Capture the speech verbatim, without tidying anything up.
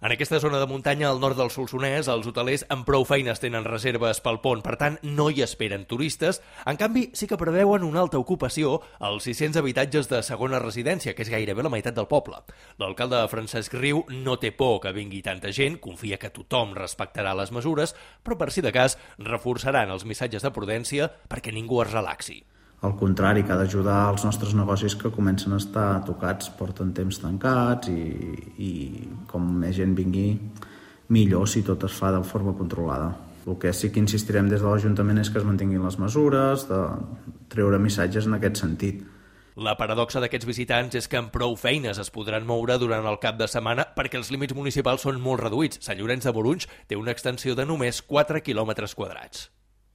En aquesta zona de muntanya, al nord del Solsonès, els hotelers amb prou feines tenen reserves pel pont, per tant, no hi esperen turistes. En canvi, sí que preveuen una alta ocupació als sis-cents habitatges de segona residència, que és gairebé la meitat del poble. L'alcalde Francesc Riu no té por que vingui tanta gent, confia que tothom respectarà les mesures, però per si de cas reforçaran els missatges de prudència perquè ningú es relaxi. Al contrari, que ha d'ajudar els nostres negocis que comencen a estar tocats, porten temps tancats i, i com més gent vingui, millor si tot es fa de forma controlada. El que sí que insistirem des de l'Ajuntament és que es mantinguin les mesures, de treure missatges en aquest sentit. La paradoxa d'aquests visitants és que amb prou feines es podran moure durant el cap de setmana perquè els límits municipals són molt reduïts. Sant Llorenç de Morunys té una extensió de només quatre quilòmetres quadrats.